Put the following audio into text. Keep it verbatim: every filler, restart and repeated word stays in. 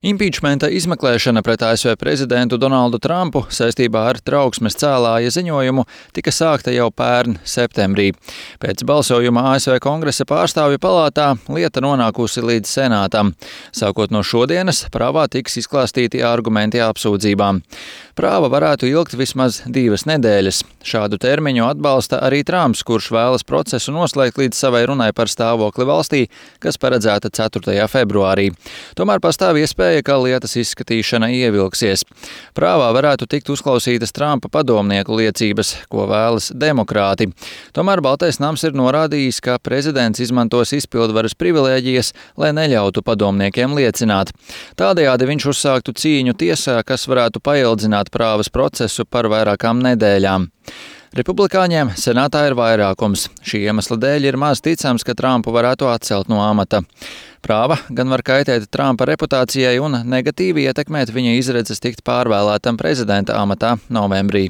Impičmenta izmeklēšana pret A S V prezidentu Donaldu Trumpu saistībā ar trauksmes cēlāja ziņojumu tika sākta jau pērn septembrī. Pēc balsojuma A S V Kongresa pārstāvju palātā lieta nonākusi līdz senātam. Sākot no šodienas, prāvā tiks izklāstīti argumenti apsūdzībām. Prāva varētu ilgt vismaz divas nedēļas. Šādu termiņu atbalsta arī Trumps, kurš vēlas procesu noslēgt līdz savai runai par stāvokli valstī, kas paredzēta ceturtajā februārī. Tomēr pastāv iespēja, ka lietas izskatīšana ievilksies. Prāvā varētu tikt uzklausītas Trumpa padomnieku liecības, ko vēlas demokrāti. Tomēr Baltais nams ir norādījis, ka prezidents izmantos izpildvaras privilēģijas, lai neļautu padomniekiem liecināt. Tādējādi viņš uzsāktu cīņu tiesā, kas varētu paildzināt prāvas procesu par vairākām nedēļām. Republikāņiem senātā ir vairākums. Šī iemesla dēļ ir maz ticams, ka Trumpu varētu atcelt no amata. Prāva gan var kaitēt Trumpa reputācijai un negatīvi ietekmēt viņa izredzes tikt pārvēlētam prezidenta amatā novembrī.